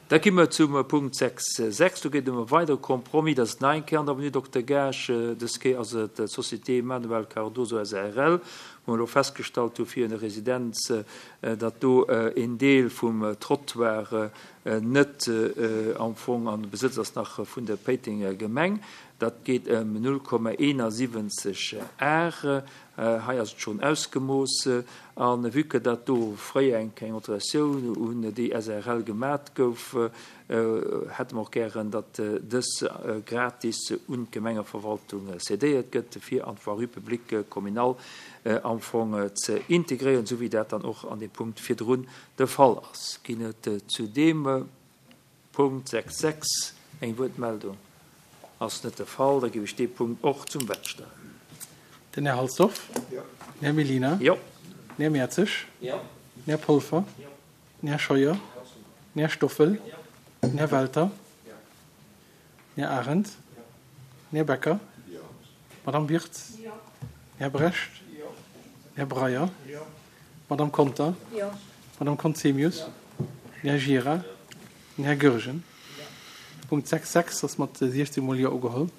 Da gi mer zum Punkt 6, 6. Do geet ëm e weidere Compromis. Dat ass nach eng Kéier an der Avenue Dokter Gaasch. Dës Kéier ass et d'Société Manuel Cardoso SARL, wou mer elo festgestallt hu fir hir Residenz, datt do een Deel vum Trottoir net am Fong an Besëtz ass nach vun der Péitenger Gemeng. Dat geet ëm 0,71 Ar. Hei ass et schonn ausgemooss. A vue que dat do fréier eng kleng Alteratioun un déi SARL gemat gouf, hätte mer och gären, datt dës gratis un d'Gemengeverwaltung cédéiert gëtt, fir an d'Voirie publique communale am Fong ze integréieren, esou wéi dat dann och an deem Punkt virdrun de Fall ass. Ginn et zu deem Punkt 6 6 Eng Wuertmeldung ass net de Fall. Da géif ech dee Punkt och zum Vott stellen. Den Här Halsdorf. Jo. Den Här Mellina. Jo. Den Här Mertzig. Jo. Den Här Polfer. Jo. Den Här Scheuer. Den Här Stoffel. Jo. Den Här Welter. Jo. Den Här Arendt. Jo. Den Här Becker. Jo. D'Madame Wirtz. Jo. Den Här Brecht. Jo. Den Här Breyer. Jo. D'Madame Conter. Jo. D'Madame Conzemius. Jo. Den Här Gira. Den Här Goergen. Punkt 6, 6 ass mat 16 mol Jo ugeholl.